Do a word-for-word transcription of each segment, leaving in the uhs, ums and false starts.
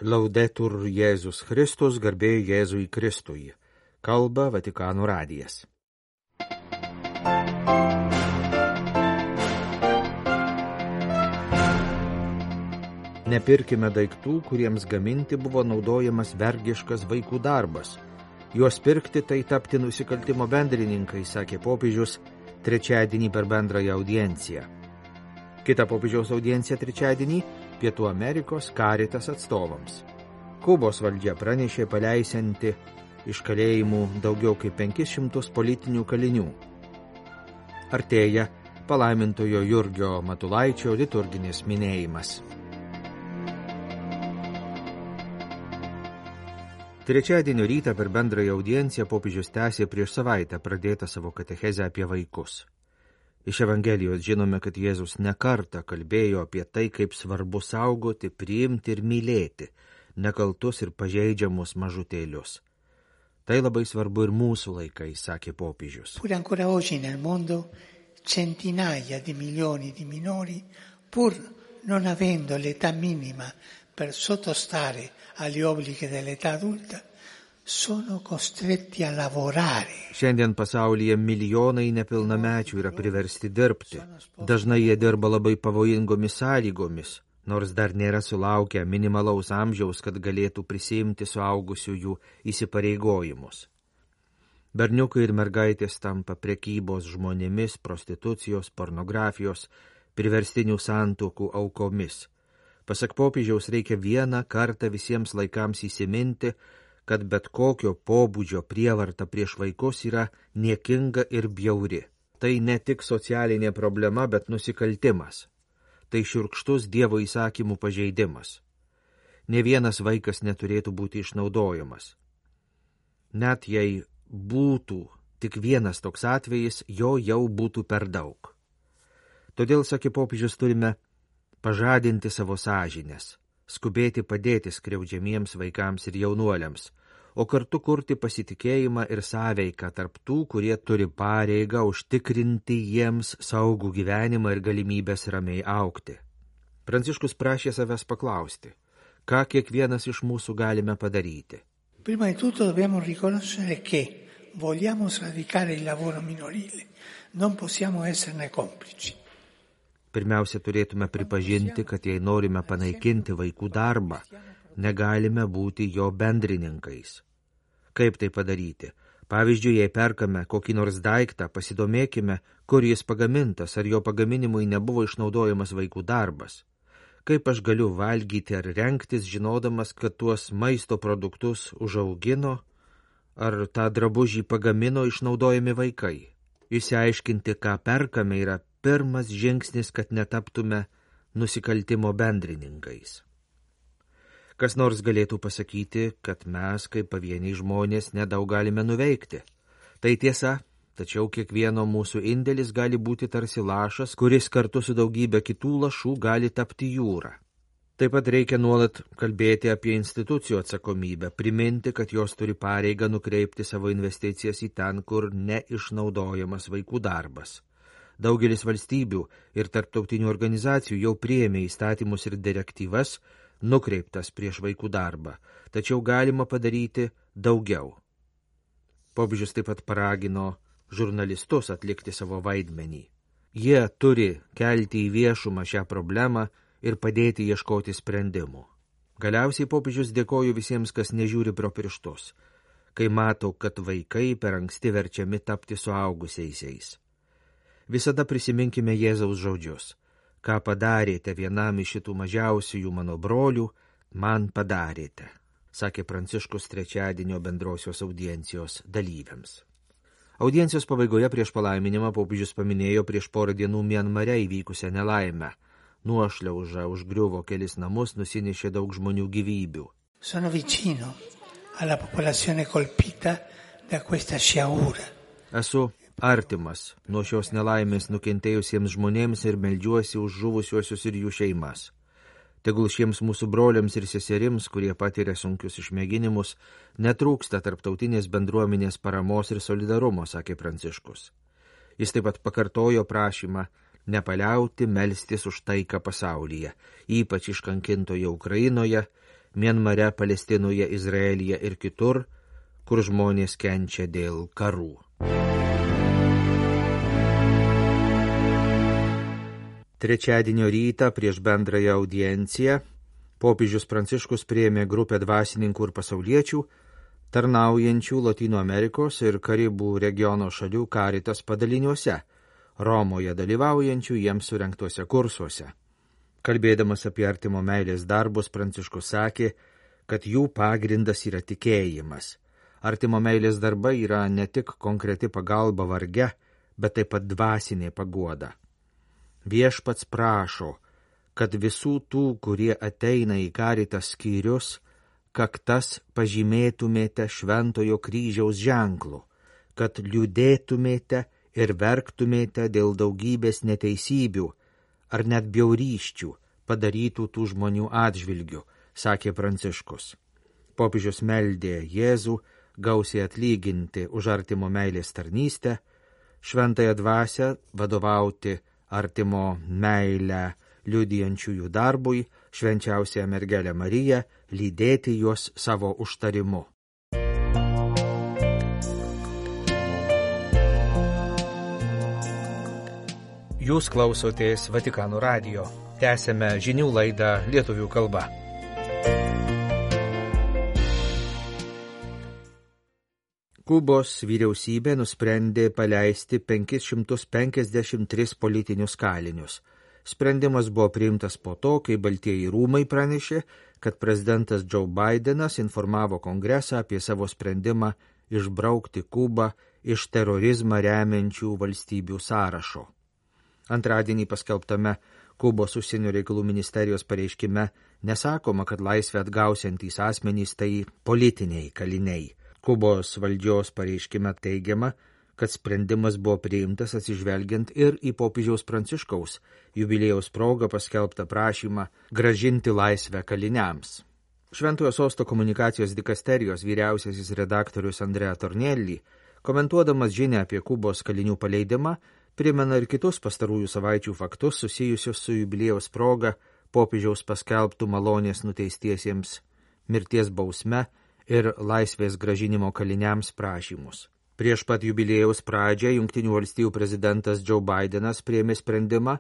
Laudetur Jėzus Kristus, garbė Jėzui Kristui. Kalba Vatikano radijas. Nepirkime daiktų, kuriems gaminti buvo naudojamas vergiškas vaikų darbas. Juos pirkti tai tapti nusikaltimo bendrininkai, sakė popiežius trečiadienį per bendrąją audienciją. Kita popiežiaus audiencija trečiadienį Pietų Amerikos Caritas atstovams. Kubos valdžia pranešė paleisianti iš kalėjimų daugiau kaip penkis šimtus politinių kalinių. Artėja palaimintojo Jurgio Matulaičio liturginis minėjimas. Trečiadienio rytą per bendrąją audienciją popiežius tęsė prieš savaitę pradėtą savo katechezę apie vaikus. Iš Evangelijos žinome, kad Jėzus nekartą kalbėjo apie tai, kaip svarbu saugoti, priimti ir mylėti nekaltus ir pažeidžiamus mažutėlius. Tai labai svarbu ir mūsų laikais, sakė popiežius. Pure ancora oggi nel mondo centinaia di milioni di minori, pur non avendo l'età minima per sottostare agli obblighi dell'età adulta, sono costretti a lavorare. Šiandien pasaulyje milijonai nepilnamečių yra priversti dirbti. Dažnai jie dirba labai pavojingomis sąlygomis, nors dar nėra sulaukę minimalaus amžiaus, kad galėtų prisiimti suaugusiųjų įsipareigojimus. Berniukai ir mergaitės tampa prekybos žmonėmis, prostitucijos, pornografijos, priverstinių santuokų aukomis. Pasak popiežiaus reikia vieną kartą visiems laikams įsiminti, kad bet kokio pobūdžio prievarta prieš vaikus yra niekinga ir bjauri. Tai ne tik socialinė problema, bet nusikaltimas. Tai šiurkštus Dievo įsakymų pažeidimas. Ne vienas vaikas neturėtų būti išnaudojamas. Net jei būtų tik vienas toks atvejis, jo jau būtų per daug. Todėl, sakė popiežius, turime pažadinti savo sąžines, skubėti padėti skriaudžiamiems vaikams ir jaunuoliams, o kartu kurti pasitikėjimą ir sąveiką tarp tų, kurie turi pareigą užtikrinti jiems saugų gyvenimą ir galimybės ramiai augti. Pranciškus prašė savęs paklausti, ką kiekvienas iš mūsų galime padaryti. Prima di tutto dobbiamo riconoscere che vogliamo sradicare il lavoro minorile, non possiamo esserne complici. Pirmiausia, turėtume pripažinti, kad jei norime panaikinti vaikų darbą, negalime būti jo bendrininkais. Kaip tai padaryti? Pavyzdžiui, jei perkame kokį nors daiktą, pasidomėkime, kur jis pagamintas, ar jo pagaminimui nebuvo išnaudojamas vaikų darbas. Kaip aš galiu valgyti ar rengtis, žinodamas, kad tuos maisto produktus užaugino, ar tą drabužį pagamino išnaudojami vaikai? Išsiaiškinti, ką perkame, yra pirmas žingsnis, kad netaptume nusikaltimo bendrininkais. Kas nors galėtų pasakyti, kad mes, kaip pavieniai žmonės, nedaug galime nuveikti. Tai tiesa, tačiau kiekvieno mūsų indėlis gali būti tarsi lašas, kuris kartu su daugybė kitų lašų gali tapti jūra. Taip pat reikia nuolat kalbėti apie institucijų atsakomybę, priminti, kad jos turi pareigą nukreipti savo investicijas į ten, kur neišnaudojamas vaikų darbas. Daugelis valstybių ir tarptautinių organizacijų jau priėmė įstatymus ir direktyvas nukreiptas prieš vaikų darbą, tačiau galima padaryti daugiau. Popiežius taip pat paragino žurnalistus atlikti savo vaidmenį. Jie turi kelti į viešumą šią problemą ir padėti ieškoti sprendimų. Galiausiai popiežius dėkoju visiems, kas nežiūri pro pirštus, kai mato, kad vaikai per anksti verčiami tapti suaugusiaisiais. Visada prisiminkime Jėzaus žodžius. Ką padarėte vienam iš šitų mažiausiųjų mano brolių, man padarėte, sakė Pranciškus trečiadienio bendrosios audiencijos dalyviams. Audiencijos pabaigoje prieš palaiminimą popiežius paminėjo prieš porą dienų Mianmare įvykusią nelaimę. Nuošliauža užgriuvo kelis namus, nusinešė daug žmonių gyvybių. Sono vicino alla popolazione colpita da questa sciagura. Esu artimas nuo šios nelaimės nukentėjusiems žmonėms ir meldžiuosi už žuvusiuosius ir jų šeimas. Tegul šiems mūsų broliams ir seserims, kurie patiria sunkius išmėginimus, netrūksta tarptautinės bendruomenės paramos ir solidarumo, sakė Pranciškus. Jis taip pat pakartojo prašymą nepaliauti melstis už taiką pasaulyje, ypač iškankintoje Ukrainoje, Mianmare, Palestinoje, Izraelyje ir kitur, kur žmonės kenčia dėl karų. Trečiadienio rytą prieš bendrąją audienciją popiežius Pranciškus priėmė grupę dvasininkų ir pasauliečių, tarnaujančių Lotynų Amerikos ir Karibų regiono šalių Caritas padaliniuose, Romoje dalyvaujančių jiems surengtuose kursuose. Kalbėdamas apie artimo meilės darbus, Pranciškus sakė, kad jų pagrindas yra tikėjimas. Artimo meilės darbai yra ne tik konkreti pagalba varge, bet taip pat dvasinė paguoda. Viešpats prašo, kad visų tų, kurie ateina į Caritas skyrius, kaktas pažymėtumėte šventojo kryžiaus ženklu, kad liūdėtumėte ir verktumėte dėl daugybės neteisybių ar net bjaurysčių padarytų tų žmonių atžvilgių, sakė Pranciškus. Popiežius meldė Jėzų gausiai atlyginti už artimo meilės tarnystę, šventąją dvasią vadovauti artimo meilę liudijančiųjų darbui, švenčiausiąją mergelę Mariją, lydėti juos savo užtarimu. Jūs klausotės Vatikano radijo. Tęsėme žinių laidą lietuvių kalba. Kubos vyriausybė nusprendė paleisti penkis šimtus penkiasdešimt tris politinius kalinius. Sprendimas buvo priimtas po to, kai Baltieji rūmai pranešė, kad prezidentas Joe Bidenas informavo Kongresą apie savo sprendimą išbraukti Kubą iš terorizmą remiančių valstybių sąrašo. Antradienį paskelbtame Kubos užsienio reikalų ministerijos pareiškime nesakoma, kad laisvę atgausiantys asmenys tai politiniai kaliniai. Kubos valdžios pareiškime teigiama, kad sprendimas buvo priimtas atsižvelgiant ir į popiežiaus Pranciškaus jubiliejaus progą paskelbtą prašymą grąžinti laisvę kaliniams. Šventojo sosto komunikacijos dikasterijos vyriausiasis redaktorius Andrea Tornelli, komentuodamas žinią apie Kubos kalinių paleidimą, primena ir kitus pastarųjų savaičių faktus susijusius su jubiliejaus proga popiežiaus paskelbtų malonės nuteistiesiems mirties bausme ir laisvės grąžinimo kaliniams prašymus. Prieš pat jubiliejaus pradžią Jungtinių valstijų prezidentas Joe Bidenas priėmė sprendimą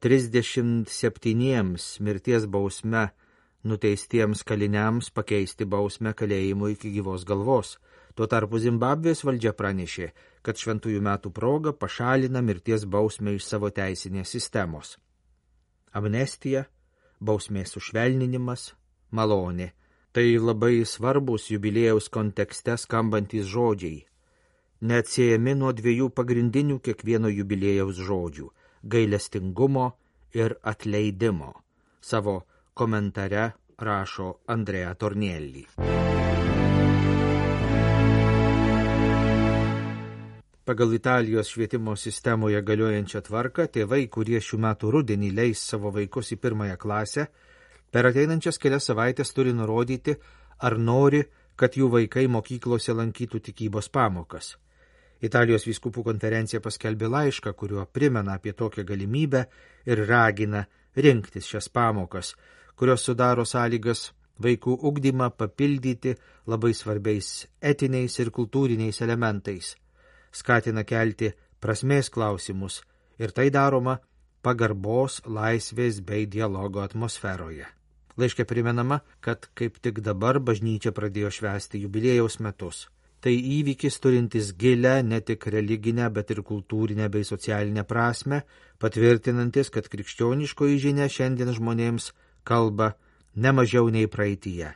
trisdešimt septyniems mirties bausme nuteistiems kaliniams pakeisti bausmę kalėjimu iki gyvos galvos. Tuo tarpu Zimbabvės valdžia pranešė, kad šventųjų metų proga pašalina mirties bausmę iš savo teisinės sistemos. Amnestija, bausmės sušvelninimas, malonė – tai labai svarbus jubiliejaus kontekste skambantys žodžiai, neatsiejami nuo dviejų pagrindinių kiekvieno jubiliejaus žodžių – gailestingumo ir atleidimo. Savo komentare rašo Andrea Tornelli. Pagal Italijos švietimo sistemoje galiojančią tvarką, tėvai, kurie šių metų rudenį leis savo vaikus į pirmąją klasę, per ateinančias kelias savaitės turi nurodyti, ar nori, kad jų vaikai mokyklose lankytų tikybos pamokas. Italijos vyskupų konferencija paskelbė laišką, kuriuo primena apie tokią galimybę ir ragina rinktis šias pamokas, kurios sudaro sąlygas vaikų ugdymą papildyti labai svarbiais etiniais ir kultūriniais elementais, skatina kelti prasmės klausimus ir tai daroma pagarbos, laisvės bei dialogo atmosferoje. Laiške primenama, kad kaip tik dabar bažnyčia pradėjo švęsti jubiliejaus metus. Tai įvykis turintis gilę ne tik religinę, bet ir kultūrinę bei socialinę prasmę, patvirtinantis, kad krikščioniškoji žinia šiandien žmonėms kalba ne mažiau nei praeityje.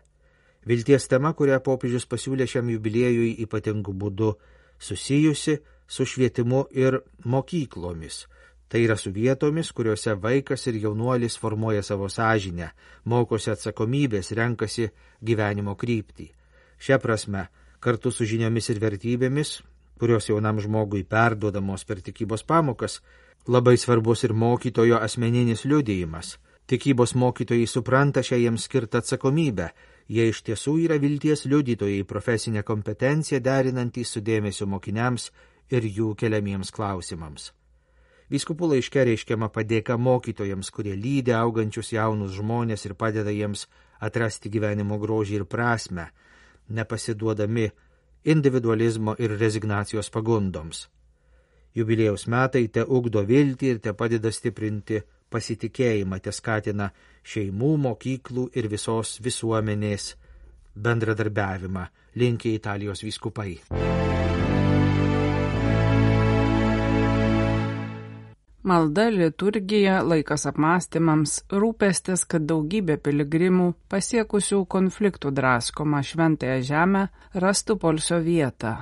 Vilties tema, kurią popiežius pasiūlė šiam jubiliejui ypatingu būdu, susijusi su švietimu ir mokyklomis. Tai yra su vietomis, kuriuose vaikas ir jaunuolis formuoja savo sąžinę, mokosi atsakomybės, renkasi gyvenimo kryptį. Šia prasme, kartu su žiniomis ir vertybėmis, kurios jaunam žmogui perduodamos per tikybos pamokas, labai svarbus ir mokytojo asmeninis liudijimas. Tikybos mokytojai supranta šią jiems skirtą atsakomybę. Jie iš tiesų yra vilties liudytojai, profesinę kompetenciją derinantys su dėmesio mokiniams ir jų keliamiems klausimams. Vyskupų laiške reiškiama padėka mokytojams, kurie lydi augančius jaunus žmonės ir padeda jiems atrasti gyvenimo grožį ir prasme, nepasiduodami individualizmo ir rezignacijos pagundoms. Jubiliejaus metai te ugdo viltį ir te padeda stiprinti pasitikėjimą, te skatina šeimų, mokyklų ir visos visuomenės bendradarbiavimą, linki Italijos vyskupai. Malda, liturgija, laikas apmąstymams, rūpestis, kad daugybė piligrimų pasiekusių konfliktų draskomą šventąją žemę rastų poilsio vietą.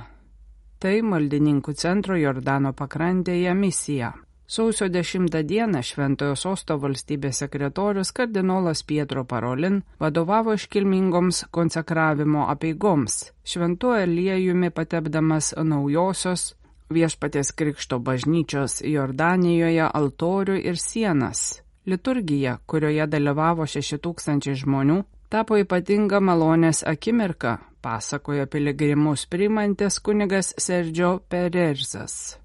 Tai maldininkų centro Jordano pakrantėje misija. Sausio dešimtą dieną Šventojo Sosto valstybės sekretorius kardinolas Pietro Parolin vadovavo iškilmingoms konsekravimo apeigoms, šventuoju aliejumi patepdamas naujosios Viešpaties Krikšto bažnyčios Jordanijoje altorių ir sienas. Liturgija, kurioje dalyvavo šeši tūkstančiai žmonių, tapo ypatinga malonės akimirka, pasakojo piligrimus priimantis kunigas Sergio Pererzas.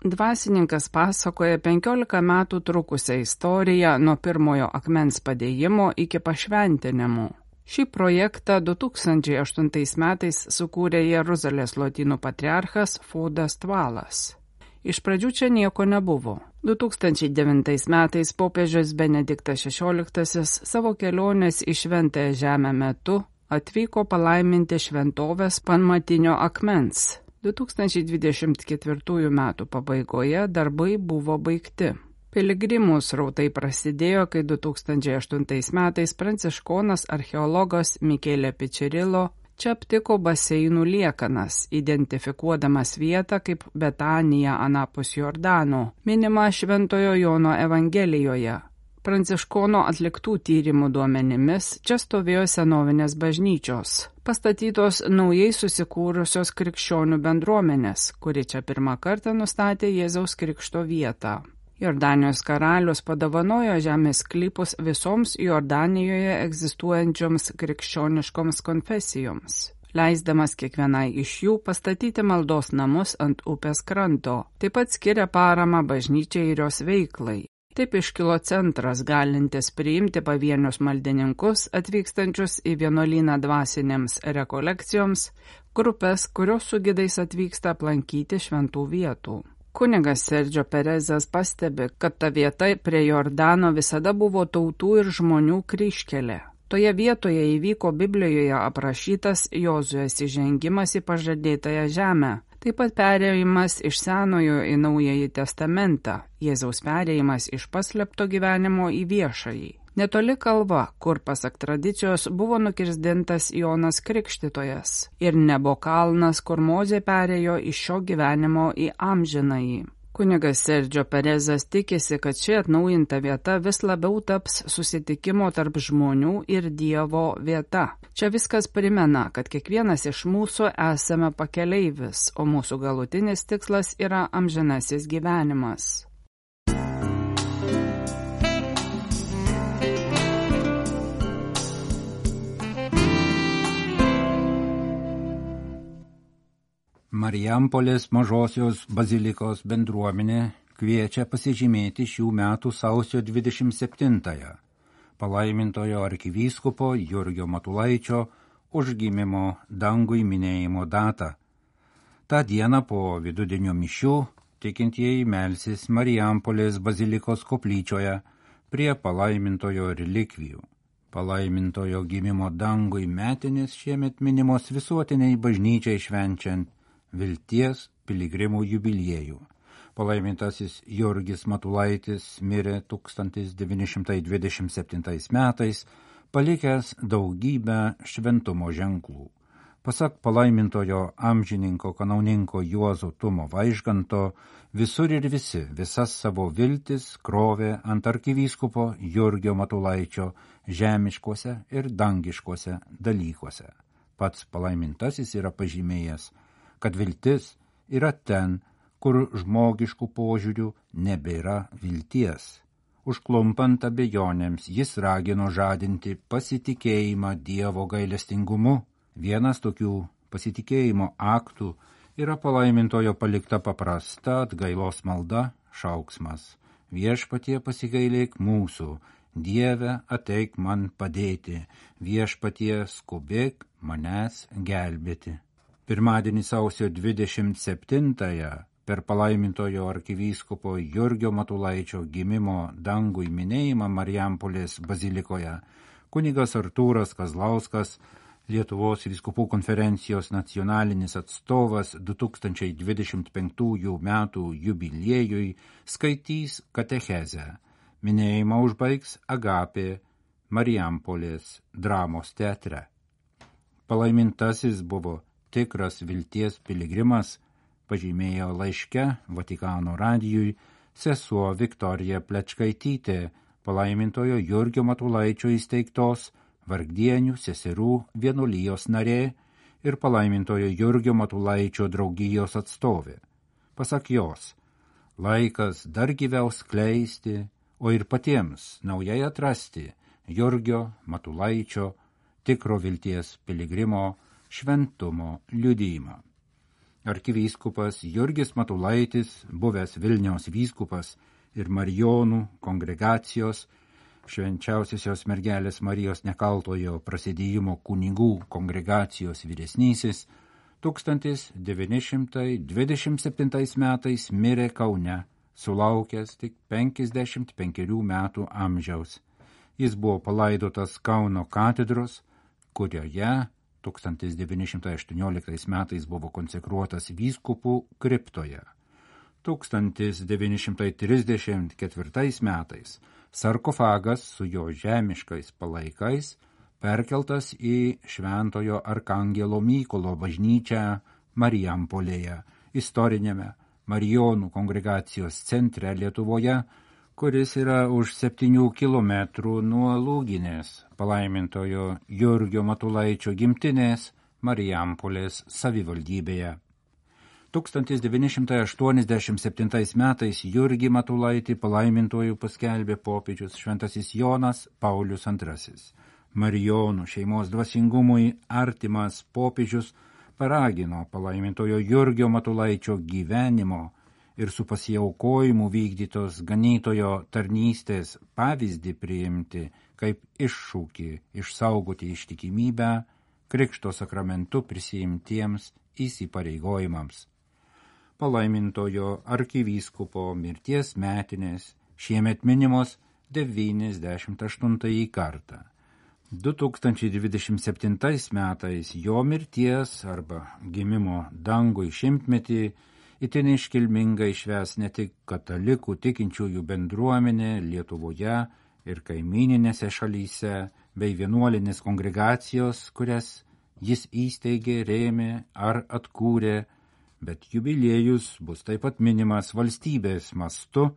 Dvasininkas pasakoja penkiolika metų trukusią istoriją nuo pirmojo akmens padėjimo iki pašventinimų. Šį projektą du tūkstančiai aštuntais metais sukūrė Jeruzalės lotynų patriarchas Fodas Tvalas. Iš pradžių čia nieko nebuvo. du tūkstančiai devintais metais popiežius Benediktas šešioliktasis savo kelionės į Šventąją žemę metu atvyko palaiminti šventovės pamatinio akmens. du tūkstančiai dvidešimt ketvirtųjų metų pabaigoje darbai buvo baigti. Piligrimų srautai prasidėjo, kai du tūkstančiai aštuntais metais pranciškonas archeologas Mikelė Pičirilo čia aptiko baseinų liekanas, identifikuodamas vietą kaip Betanija anapus Jordano, minima Šventojo Jono Evangelijoje. Pranciškono atliktų tyrimų duomenimis čia stovėjo senovinės bažnyčios, pastatytos naujai susikūrusios krikščionių bendruomenės, kuri čia pirmą kartą nustatė Jėzaus Krikšto vietą. Jordanijos karalius padovanojo žemės sklypus visoms Jordanijoje egzistuojančioms krikščioniškoms konfesijoms, leisdamas kiekvienai iš jų pastatyti maldos namus ant upės kranto, taip pat skiria paramą bažnyčiai ir jos veiklai. Taip iškilo centras, galintis priimti pavienius maldininkus atvykstančius į vienuolyną dvasinėms rekolekcijoms, grupės, kurios su gidais atvyksta aplankyti šventų vietų. Kunigas Sergio Perezas pastebi, kad ta vieta prie Jordano visada buvo tautų ir žmonių kryžkelė. Toje vietoje įvyko Biblijoje aprašytas Jozuės įžengimas į pažadėtąją žemę, taip pat perėjimas iš Senojo į Naująjį testamentą, Jėzaus perėjimas iš paslėpto gyvenimo į viešąjį. Netoli kalva, kur pasak tradicijos buvo nukirsdintas Jonas Krikštytojas, ir Nebo kalnas, kur Mozė perėjo iš šio gyvenimo į amžinąjį. Kunigas Sergio Perezas tikisi, kad ši atnaujinta vieta vis labiau taps susitikimo tarp žmonių ir Dievo vieta. Čia viskas primena, kad kiekvienas iš mūsų esame pakeleivis, o mūsų galutinis tikslas yra amžinasis gyvenimas. Marijampolės mažosios bazilikos bendruomenė kviečia pasižymėti šių metų sausio dvidešimt septintąją palaimintojo arkivyskupo Jurgio Matulaičio užgimimo dangui minėjimo datą. Ta diena po vidudienio mišių tikintieji melsis Marijampolės bazilikos koplyčioje prie palaimintojo relikvijų. Palaimintojo gimimo dangui metinės šiemet minimos visuotiniai bažnyčiai švenčiant Vilties piligrimų jubiliejų. Palaimintasis Jurgis Matulaitis mirė tūkstantis devyni šimtai dvidešimt septintais metais, palikęs daugybę šventumo ženklų. Pasak palaimintojo amžininko kanauninko Juozo Tumo Vaižganto, visur ir visi visas savo viltis krovė ant arkivyskupo Jurgio Matulaičio žemiškuose ir dangiškuose dalykuose. Pats palaimintasis yra pažymėjęs, kad viltis yra ten, kur žmogiškų požiūrių nebėra vilties. Užklumpant abejonėms, jis ragino žadinti pasitikėjimą Dievo gailestingumu. Vienas tokių pasitikėjimo aktų yra palaimintojo palikta paprasta atgailos malda, šauksmas. Viešpatie pasigailėk mūsų, Dieve, ateik man padėti, viešpatie skubėk manęs gelbėti. Pirmadienį sausio dvidešimt septintąją per palaimintojo arkivyskupo Jurgio Matulaičio gimimo dangui minėjimą Marijampolės bazilikoje kunigas Artūras Kazlauskas, Lietuvos vyskupų konferencijos nacionalinis atstovas du tūkstančiai dvidešimt penktųjų metų jubiliejui, skaitys katechezę. Minėjimą užbaigs Agapė Marijampolės dramos teatre. Palaimintasis buvo tikras vilties piligrimas, pažymėjo laiške Vatikano radijui sesuo Viktorija Plečkaitytė, palaimintojo Jurgio Matulaičio įsteigtos Vargdienių seserų vienuolijos narė ir palaimintojo Jurgio Matulaičio draugijos atstovė. Pasak jos, laikas dar gyviau skleisti, o ir patiems naujai atrasti Jurgio Matulaičio tikro vilties piligrimo šventumo liudijimą. Arkivyskupas Jurgis Matulaitis, buvęs Vilniaus vyskupas ir Marijonų kongregacijos Švenčiausiosios mergelės Marijos Nekaltojo prasidėjimo kunigų kongregacijos vyresnysis, tūkstantis devyni šimtai dvidešimt septintais metais mirė Kaune, sulaukęs tik penkiasdešimt penkerių metų amžiaus. Jis buvo palaidotas Kauno katedros, kurioje tūkstantis devyni šimtai aštuonioliktais metais buvo konsekruotas vyskupų kriptoje. tūkstantis devyni šimtai trisdešimt ketvirtais metais sarkofagas su jo žemiškais palaikais perkeltas į Šventojo Arkangelo Mykolo bažnyčią Marijampolėje, istoriniame Marijonų kongregacijos centre Lietuvoje, kuris yra už septynių kilometrų nuo Lūginės, palaimintojo Jurgio Matulaičio gimtinės Marijampolės savivaldybėje. tūkstantis devyni šimtai aštuoniasdešimt septintais metais Jurgį Matulaitį palaimintojų paskelbė popiežius šventasis Jonas Paulius antrasis. Marijonų šeimos dvasingumui artimas popiežius paragino palaimintojo Jurgio Matulaičio gyvenimo ir su pasiaukojimu vykdytos ganytojo tarnystės pavyzdį priimti kaip iššūkį išsaugoti ištikimybę Krikšto sakramentu prisiimtiems įsipareigojimams. Palaimintojo arkivyskupo mirties metinės šiemet minimos devyniasdešimt aštuntąjį kartą. du tūkstančiai dvidešimt septintais metais jo mirties arba gimimo dangui šimtmetį itin iškilmingai švęs ne tik katalikų tikinčiųjų bendruomenė Lietuvoje ir kaimyninėse šalyse, bei vienuolinės kongregacijos, kurias jis įsteigė, rėmė ar atkūrė, bet jubiliejus bus taip pat minimas valstybės mastu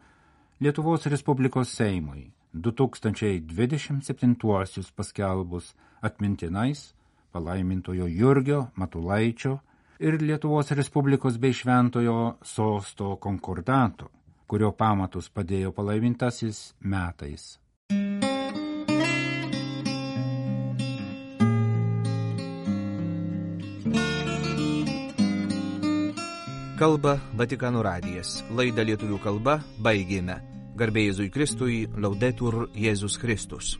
Lietuvos Respublikos Seimui du tūkstančiai dvidešimt septintuosius paskelbus atmintinais palaimintojo Jurgio Matulaičio ir Lietuvos Respublikos bei Šventojo sosto konkordato, kurio pamatus padėjo palaimintasis metais. Kalba Vatikano radijas. Laidą lietuvių kalba baigėme. Garbė Jėzui Kristui, Laudetur Jėzus Kristus.